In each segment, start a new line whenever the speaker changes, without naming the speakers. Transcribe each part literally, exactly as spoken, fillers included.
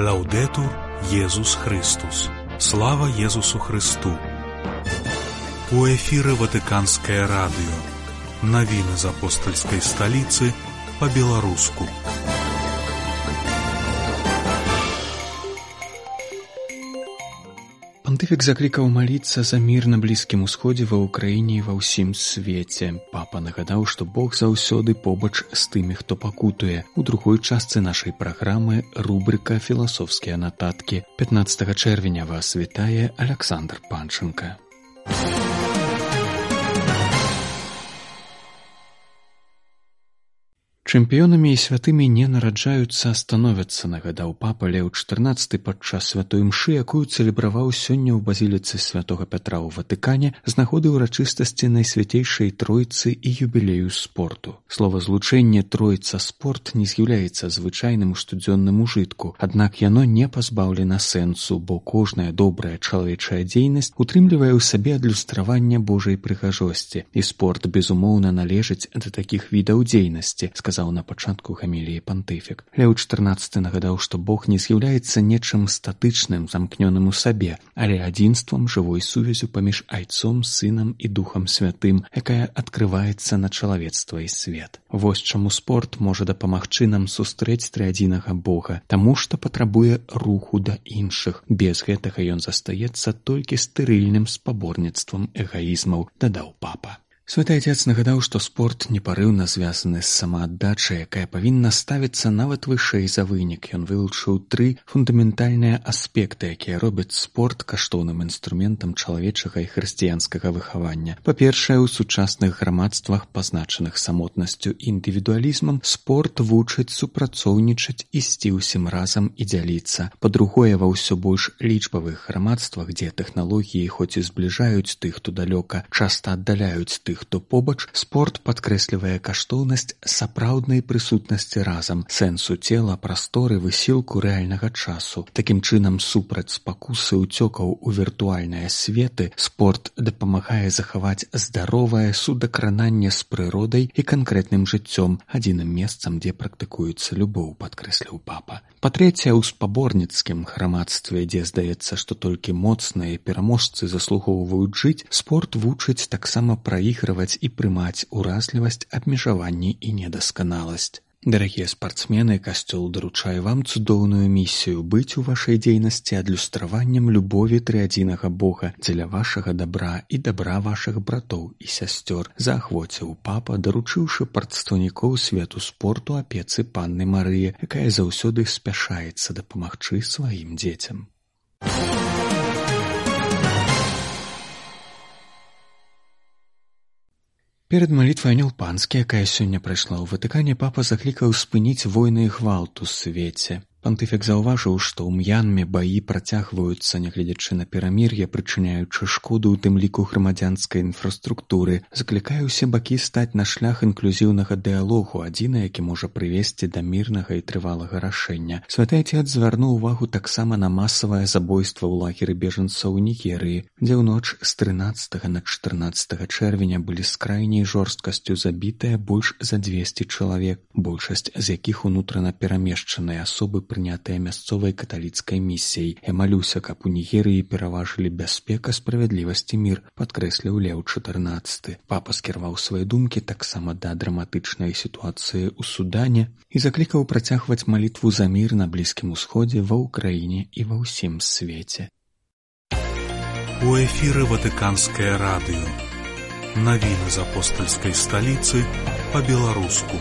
Лаўдэтур Езус Христус. Слава Езусу Христу. У эфіры Ватыканскае радыё. Навіны з апостальскай сталіцы па-беларуску. Пантыфік заклікаў маліцца за мір на Блізкім Усходзе, ва Ўкраіне і ва ўсім свеце. Папа нагадаў, што Бог заўсёды побач з тымі, хто пакутуе. У другой частцы нашай праграмы рубрыка «Філасофскія нататкі». пятнаццатага чэрвеня вас вітае Аляксандр Панченка. Чэмпіёнамі і святымі не нараджаюцца, а становяцца, нагадаў папа Леў чатырнаццаты падчас святой імшы, якую цэлебраваў сёння ў базіліцы святога Пятра ў Ватыкане з нагоды ўрачыстасці Найсвяцейшай Тройцы і юбілею спорту. Словазлучэнне «тройца-спорт» не з'яўляецца звычайным у штодзённым ужытку, аднак яно не пазбаўлена сэнсу, бо кожная добрая чалавечая дзейнасць утрымлівае ў сабе адлюстраванне Божай прыгажосці, і спорт, безумоўна, належыць да такіх відаў дзейнасці, сказаў на пачатку гаміліі пантыфік. Леў чатырнаццаты нагадаў, што Бог не з'яўляецца нечым статычным, замкнёным у сабе, але адзінствам, жывой сувязю паміж Айцом, Сынам і Духам Святым, якая адкрываецца на чалавецтва і свет. Вось чаму спорт можа дапамагчы нам сустрэць трыадзінага Бога, таму што патрабуе руху да іншых. Без гэтага ён застаецца толькі стэрыльным спаборніцтвам эгаізмаў, дадаў папа. Святы Отец нагадаў, што спорт непарыўна звязаны з самааддачай, якая павінна ставіцца нават вышэй за вынік. Ён вылучыў тры фундаментальныя аспекты, якія робяць спорт каштоўным інструментам чалавечага і хрысціянскага выхавання. Па-першае, у сучасных грамадствах, пазначаных самотнасцю і індывідуалізмам, спорт вучыць супрацоўнічаць, ісці ўсім разам і дзяліцца. Па-другое, ва ўсё больш лічбавых грамадствах, дзе тэхналогіі хоць і збліжаюць тых, хто далёка, часта аддаляюць тых, хто побач, спорт падкрэслівае каштоўнасць сапраўднай прысутнасці разам, сэнсу цела, прасторы, высілку рэальнага часу. Такім чынам, супраць спакусы ўцёкаў у віртуальныя светы, спорт дапамагае захаваць здаровае судакрананне з прыродай і канкрэтным жыццём, адзіным месцам, дзе практыкуецца любоў, падкрэсліў папа. Па-трэцяе, у спаборніцкім грамадстве, дзе здаецца, што толькі моцныя пераможцы заслугоўваюць жыць, спорт вучыць таксама праігрываць і прымаць уразлівасць, абмежаванні і недасканаласць. Дарагія спартсмены, касцёл даручае вам цудоўную місію быць у вашай дзейнасці адлюстраваннем любові трыадзінага Бога дзеля вашага дабра і дабра вашых братоў і сясцёр, заахвоціў папа, даручыўшы прадстаўнікоў свету спорту апецы панны Марыі, якая заўсёды спяшаецца дапамагчы сваім дзецям. Перад малітвай Анёл Панскі, якая сёння прайшла ў Ватыкане, папа заклікаў спыніць войны і гвалт у свеце. Пантыфік заўважыў, што ў М'янме баі працягваюцца, нягледзячы на перамір'е, прычыняючы шкоду ў тым ліку грамадзянскай інфраструктуры. Заклікае ўсе бакі стаць на шлях інклюзіўнага дыялогу, адзіны, які можа прывесці да мірнага і трывалага рашэння. Святы Отец звярнуў увагу таксама на масавае забойства ў лагеры бежанцаў у Нігерыі, дзе ў ноч з трынаццатага на чатырнаццатага чэрвеня былі з крайняй жорсткасцю забітыя больш за дзвесце чалавек, большасць з якіх унутрана перамешчаныя асобы, прынятыя мясцовай каталіцкай місіяй. Я малюся, каб у Нігерыі пераважылі бяспека, справядлівасць і мір, падкрэсліў Леў чатырнаццаты. Папа скіраваў свае думкі таксама да драматычнай сітуацыі ў Судане і заклікаў працягваць малітву за мір на Блізкім Усходзе, ва Ўкраіне і ва ўсім свеце. У эфіры Ватыканскае радыё. Навіны з апостальскай сталіцы па-беларуску.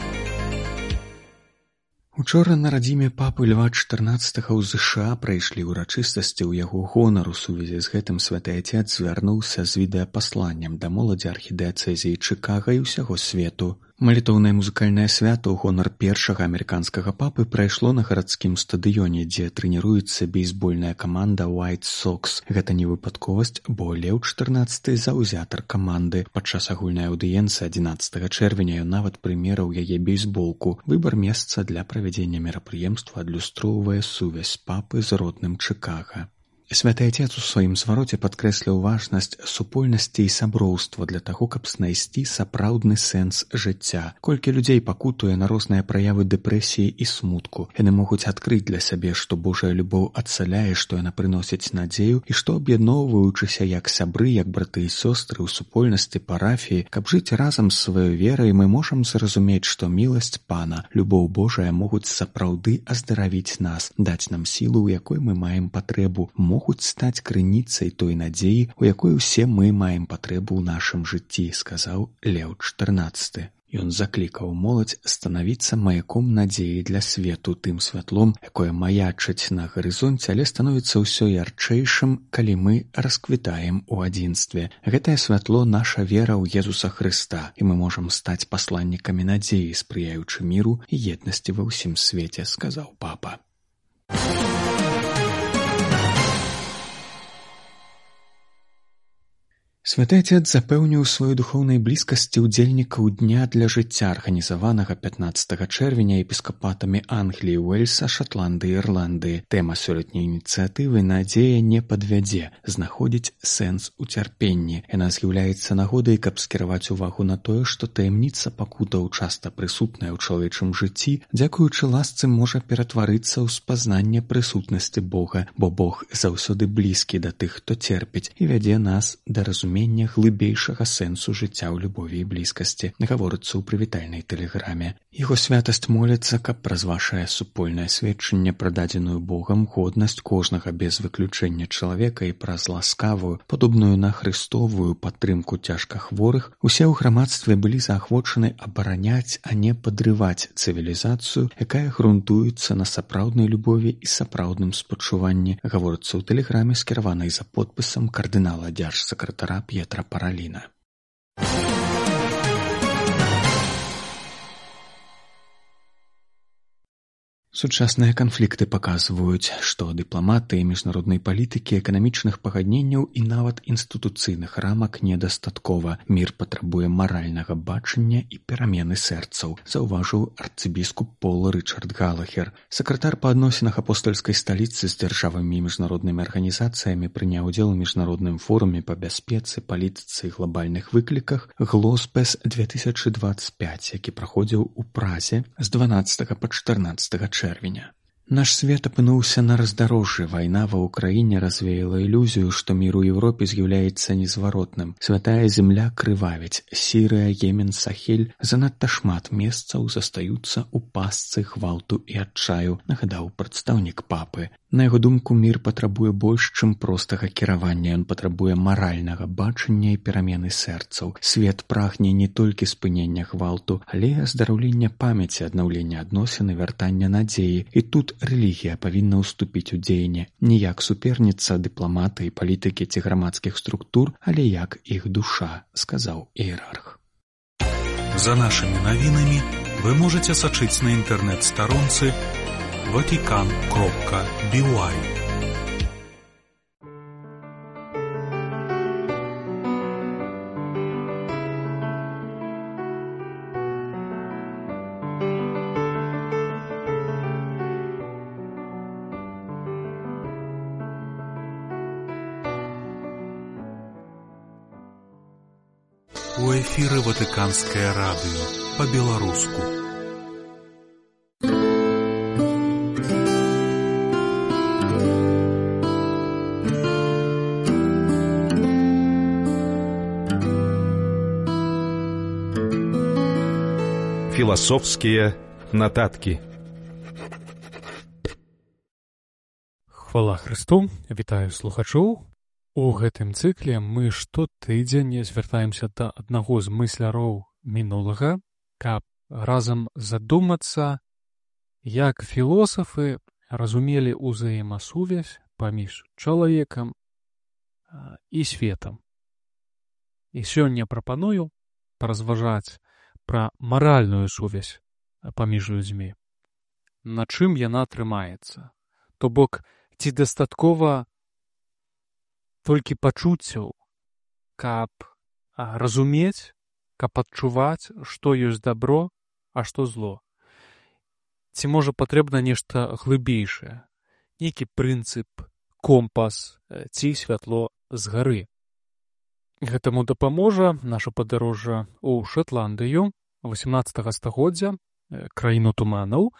Учора на радзіме папы Льва чатырнаццатага ў ЗША прайшлі ўрачыстасці ў яго гонар. У сувязі з гэтым святы Отец звярнуўся з відэапасланнем да моладзі архідыяцэзіі Чыкага і ўсяго свету. Малітоўнае музыкальнае свята ў гонар першага амерыканскага папы прайшло на гарадскім стадыёне, дзе трэніруецца бейсбольная каманда White Sox. Гэта не выпадковасць, бо Леў чатырнаццаты заўзятар каманды. Падчас агульнай аўдыенцыі адзінаццатага чэрвеня ён нават прымерыў яе бейсболку. Выбар месца для правядзення мерапрыемства адлюстроўвае сувязь папы з родным Чыкага. Святы Отец у сваім звароце падкрэсліў важнасць супольнасці і сяброўства для таго, каб знайсці сапраўдны сэнс жыцця. Колькі людзей пакутуе на розныя праявы дэпрэсіі і смутку. Яны могуць адкрыць для сябе, што Божая любоў адцаляе, што яна прыносіць надзею і што, аб'ядноўваючыся як сябры, як браты і сёстры ў супольнасці парафіі, каб жыць разам з сваёй верай, мы можам зразумець, што міласць Пана, любоў Божая могуць сапраўды аздаравіць нас, даць нам сілу, у якой мы маем патрэбу, могуць стаць крыніцай той надзеі, у якой усе мы маем патрэбу ў нашым жыцці, сказаў Леў чатырнаццаты. Ён заклікаў моладзь станавіцца маяком надзеі для свету, тым святлом, якое маячыць на гарызонце, але становіцца ўсё ярчэйшым, калі мы расквітаем у адзінстве. Гэтае святло — наша вера ў Езуса Хрыста, і мы можам стаць пасланнікамі надзеі, спрыяючы міру і еднасці ва ўсім свеце, сказаў папа. Святы Отец запэўніў сваёй духоўнай блізкасці ўдзельнікаў Дня для жыцця, арганізаванага пятнаццатага чэрвеня епіскапатамі Англіі, Уэльса, Шатландыі, Ірландыі. Тэма сёлетняй ініцыятывы «Надзея не падвядзе. Знаходзіць сэнс у цярпенні». Яна з'яўляецца нагодай, каб скіраваць увагу на тое, што таямніца пакутаў, часта прысутная ў чалавечым жыцці, дзякуючы ласцы можа ператварыцца ў спазнанне прысутнасці Бога, бо Бог заўсёды блізкі да тых, хто церпіць, і вядзе нас да разумення глыбейшага сэнсу жыцця ў любові і блізкасці, гаворыцца ў прывітальнай тэлеграме. Яго святасць моліцца, каб праз вашае супольнае сведчанне пра дадзеную Богам годнасць кожнага без выключэння чалавека і праз ласкавую, падобную на хрыстовую падтрымку цяжкахворых, усе ў грамадстве былі заахвочаны абараняць, а не падрываць цывілізацыю, якая грунтуецца на сапраўднай любові і сапраўдным спачуванні, гаворыцца ў тэлеграме, скіраванай за подпісам кардынала дзяржсакратара П'етра Параліна. Сучасныя канфлікты паказваюць, што дыпламатыі, міжнароднай палітыкі, эканамічных пагадненняў і нават інстытуцыйных рамак недастаткова. Мір патрабуе маральнага бачання і перамены сэрцаў, заўважыў арцыбіскуп Пол Рычард Галахер. Сакратар па адносінах апостальскай сталіцы з дзяржавамі і міжнароднымі арганізацыямі прыняў удзел у міжнародным форуме па бяспецы, палітыцы і глобальных выкліках «Глоспес две тысячи двадцать пять», які праходзіў у Празе з дванаццатага па чатырнаццатага чэрвеня. Наш свет апынуўся на раздарожжы. Вайна ва ўкраіне развеяла ілюзію, што мір у Еўропе з'яўляецца незваротным. Святая земля крывавіць. Сірыя, Йемен, Сахель. Занадта шмат месцаў застаюцца ў пастцы гвалту і адчаю, нагадаў прадстаўнік папы. На яго думку, мір патрабуе больш, чым простага кіравання. Ён патрабуе маральнага бачання і перамены сэрцаў. Свет прагне не толькі спынення гвалту, але і аздараўлення памяці, аднаўлення адносін і вяртання надзеі. І тут рэлігія павінна ўступіць у дзеянне не як суперніца дыпламаты і палітыкі ці грамадскіх структур, але як іх душа, сказаў іерарх.
За нашими навінамі вы можете сачыць на інтэрнэт-старонцы ватикан кропка би уай. У эфіры Ватыканскае радыё па-беларуску.
Філасофскія нататкі.
Хвала Хрысту, вітаю слухачоў. У гэтым цыкле мы штотыдзень звяртаемся да аднаго з мысляроў мінулага, каб разам задумацца, як філосафы разумелі ўзаемасувязь паміж чалавекам і светам. І сёння прапаную паразважаць пра маральную сувязь паміж людзьмі. На чым яна трымаецца? То бок, ці дастаткова толькі пачуццяў, каб разумець, каб адчуваць, што ёсць дабро, а што зло. Ці можа патрэбна нешта глыбейшае, нейкі прынцып, компас ці святло з гары. Гэтаму дапаможа наша падарожжа ў Шатландыю васямнаццатага стагоддзя, краіну туманаў,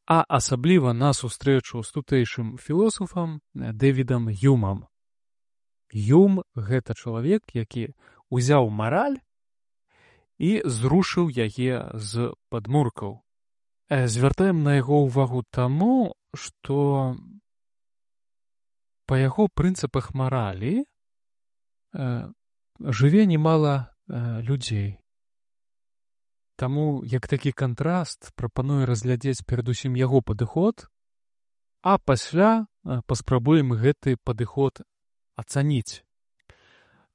а асабліва на сустрэчу з тутэйшым філосафам Дэвідам Юмам. Юм – гэта чалавек, які ўзяў мараль і зрушыў яе з падмуркаў. Звяртаем на яго ўвагу таму, што па яго прынцыпах маралі э, жыве немала э, людзей. Таму, як такі кантраст, прапаную разглядзець перадусім яго падыход, а пасля э, паспрабуем гэты падыход ацаніць.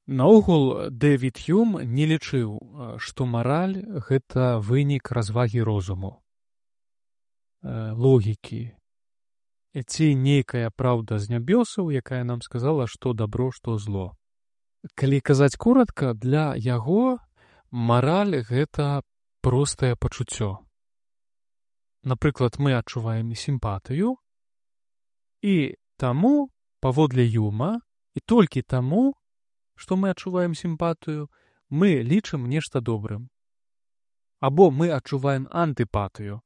Наогул, Дэвід Юм не лічыў, што мараль – гэта вынік развагі розуму, э, логікі, ці нейкая праўда з нябёсаў, якая нам сказала, што дабро, што зло. Калі казаць коратка, для яго мараль – гэта простае пачуццё. Напрыклад, мы адчуваем сімпатыю, і таму, паводле Юма, і толькі таму, што мы адчуваем сімпатыю, мы лічым нешта добрым. Або мы адчуваем антыпатыю,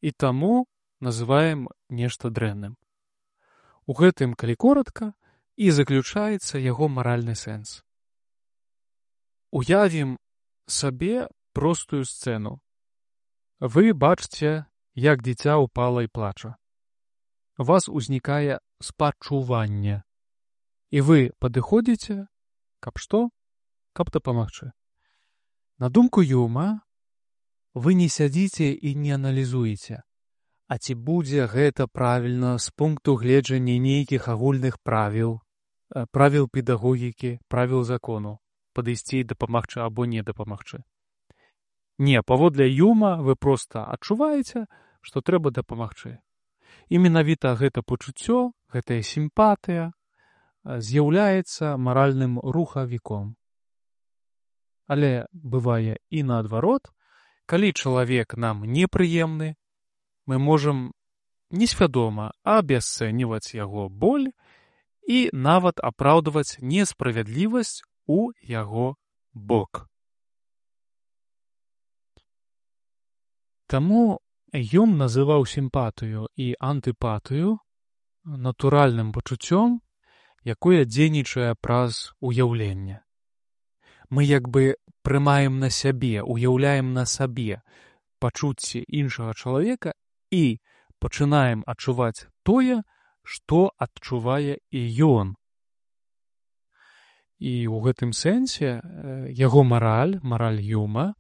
і таму называем нешта дрэнным. У гэтым, калі коратка, і заключаецца яго маральны сэнс. Уявім сабе простую сцэну. Вы бачыце, як дзіця ўпала і плача. У вас узнікае спачуванне. І вы падыходзіце, каб што? Каб дапамагчы. На думку Юма, вы не сядзіце і не аналізуеце, а ці будзе гэта правільна з пункту гледжання нейкіх агульных правіл, правіл педагогікі, правіл закону, падысці і дапамагчы або не дапамагчы. Не, паводле Юма вы проста адчуваеце, што трэба дапамагчы. І менавіта гэта пачуццё, гэтая сімпатыя з'яўляецца маральным рухавіком. Але бывае і наадварот, калі чалавек нам непрыемны, мы можам несвядома абясцэньваць яго боль і нават апраўдваць несправядлівасць у яго бок. Таму Юм называў сімпатыю і антыпатыю натуральным пачуццём, якое дзейнічае праз уяўленне. Мы як бы прымаем на сябе, уяўляем на сабе пачуцці іншага чалавека і пачынаем адчуваць тое, што адчувае і ён. І ў гэтым сэнсе яго мараль, мараль Юма,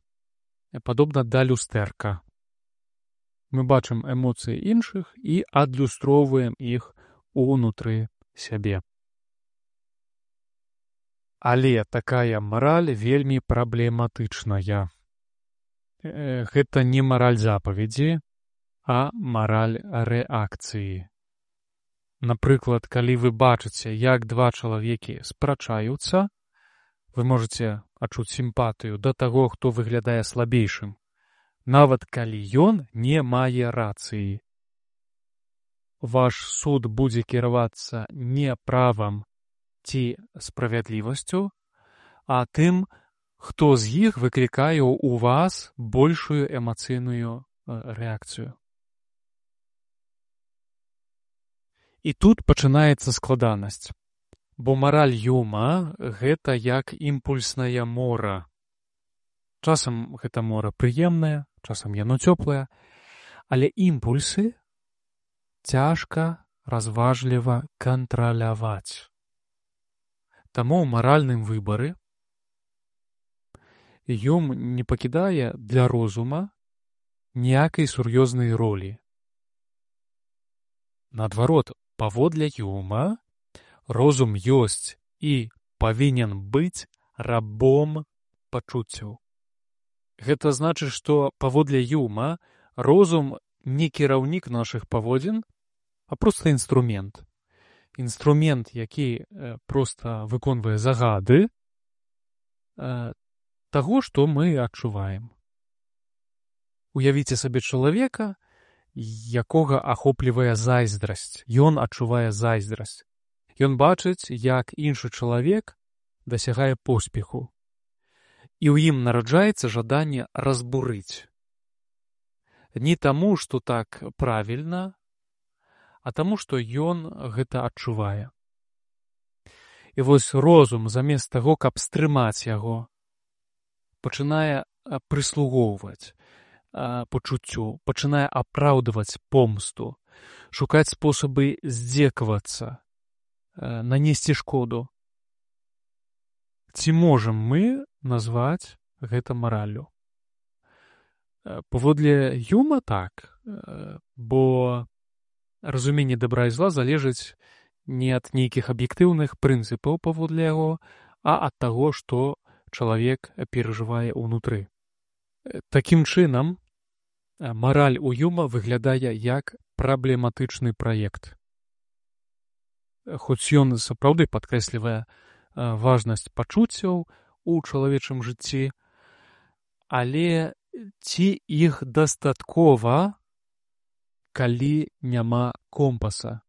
падобна да люстэрка. Мы бачым эмоцыі іншых і адлюстроўваем іх унутры сябе. Але такая мараль вельмі праблематычная. Гэта не мараль запаведзі, а мараль рэакцыі. Напрыклад, калі вы бачыце, як два чалавекі спрачаюцца, вы можаце адчуць сімпатыю да таго, хто выглядае слабейшым, нават калі ён не мае рацыі. Ваш суд будзе кіравацца не правам ці справядлівасцю, а тым, хто з іх выклікае ў вас большую эмацыйную рэакцыю. І тут пачынаецца складанасць, бо мараль Юма – гэта як імпульсная мора. Часам гэта мора прыемная, часам яно цёплае, але імпульсы цяжка разважліва кантраляваць. Таму ў маральным выбары Юм не пакідае для розума ніякай сур'ёзнай ролі. Наадварот, паводле Юма, розум ёсць і павінен быць рабом пачуццяў. Гэта значыць, што паводле Юма розум не кіраўнік нашых паводзін, а проста інструмент. Інструмент, які э, проста выконвае загады э, таго, што мы адчуваем. Уявіце сабе чалавека, якога ахоплівае зайздрасць. Ён адчувае зайздрасць. Ён бачыць, як іншы чалавек дасягае поспеху. І ў ім нараджаецца жаданне разбурыць. Не таму, што так правільна, а таму, што ён гэта адчувае. І вось розум, замест таго, каб стрымаць яго, пачынае прыслугоўваць пачуццю, пачынае апраўдваць помсту, шукаць спосабы здзекавацца, нанесці шкоду. Ці можам мы назваць гэта мараллю? Паводле Юма так, бо разуменне дабра і зла залежыць не ад нейкіх аб'ектыўных прынцыпаў паводле яго, а ад таго, што чалавек перажывае ўнутры. Такім чынам, мараль у Юма выглядае як праблематычны праект. Хоць ён сапраўды падкрэслівае важнасць пачуццяў у чалавечым жыцці, але ці іх дастаткова, калі няма компаса?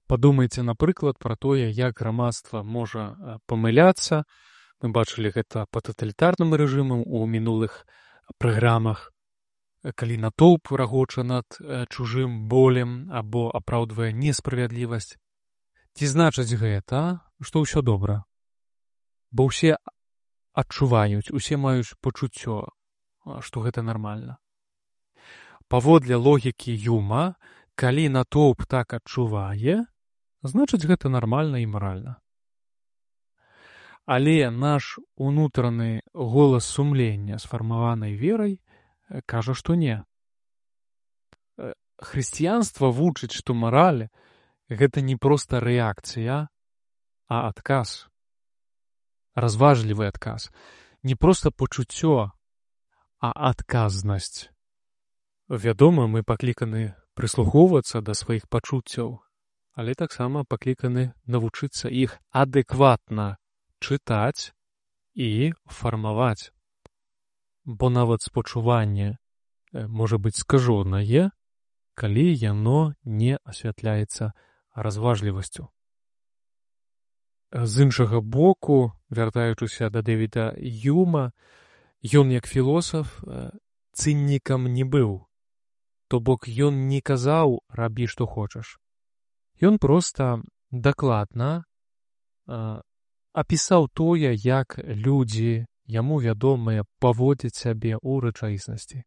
Падумайце, напрыклад, пра тое, як грамадства можа памыляцца. Мы бачылі гэта па таталітарным рэжымам у мінулых праграмах, калі натоўп рагоча над чужым болем або апраўдвае несправядлівасць. Ці значыць гэта, што ўсё добра? Бо ўсе адчуваюць, усе маюць пачуццё, што гэта нармальна. Паводле логікі Юма, калі натоўп так адчувае, значыць гэта нармальна і маральна. Але наш унутраны голас сумлення, сфармаванай верай, кажа, што не. Хрысціянства вучыць, што мараль — гэта не проста рэакцыя, а адказ. Разважлівы адказ. Не проста пачуццё, а адказнасць. Вядома, мы пакліканы прыслухоўвацца да сваіх пачуццяў, але таксама пакліканы навучыцца іх адэкватна чытаць і фармаваць. Бо нават спачуванне можа быць скажонае, калі яно не асвятляецца разважлівасцю. З іншага боку, вяртаючыся да Дэвіда Юма, ён як філосаф цыннікам не быў. То бок ён не казаў «рабі, што хочаш». Ён проста дакладна э, апісаў тое, як людзі, яму вядомыя, паводзяць сябе ў рэчаіснасці.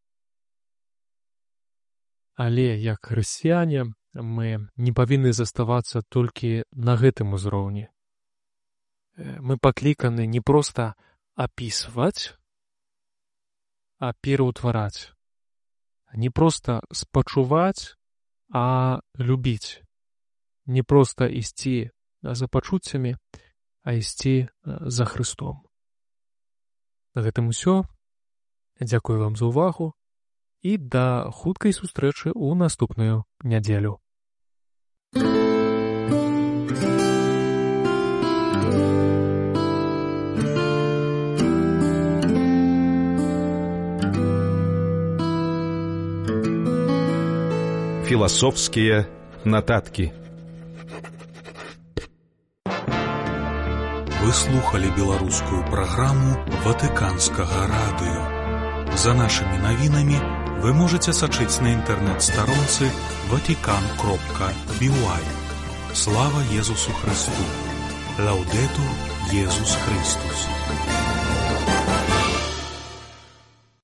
Але як хрысціяне мы не павінны заставацца толькі на гэтым узроўні. Мы пакліканы не проста апісваць, а пераўтвараць. Не проста спачуваць, а любіць. Не проста ісці за пачуццямі, а ісці за Хрыстом. На гэтым усё. Дзякую вам за ўвагу і да хуткай сустрэчы ў наступную нядзелю.
Философские нотатки.
Вы слухали беларускую праграму Ватыканскага радыё. За нашымі навінамі вы можаце сачыць на інтэрнэт-старонцы ватикан кропка би уай. Слава Езусу Христу! Лаудетур Езус Христус!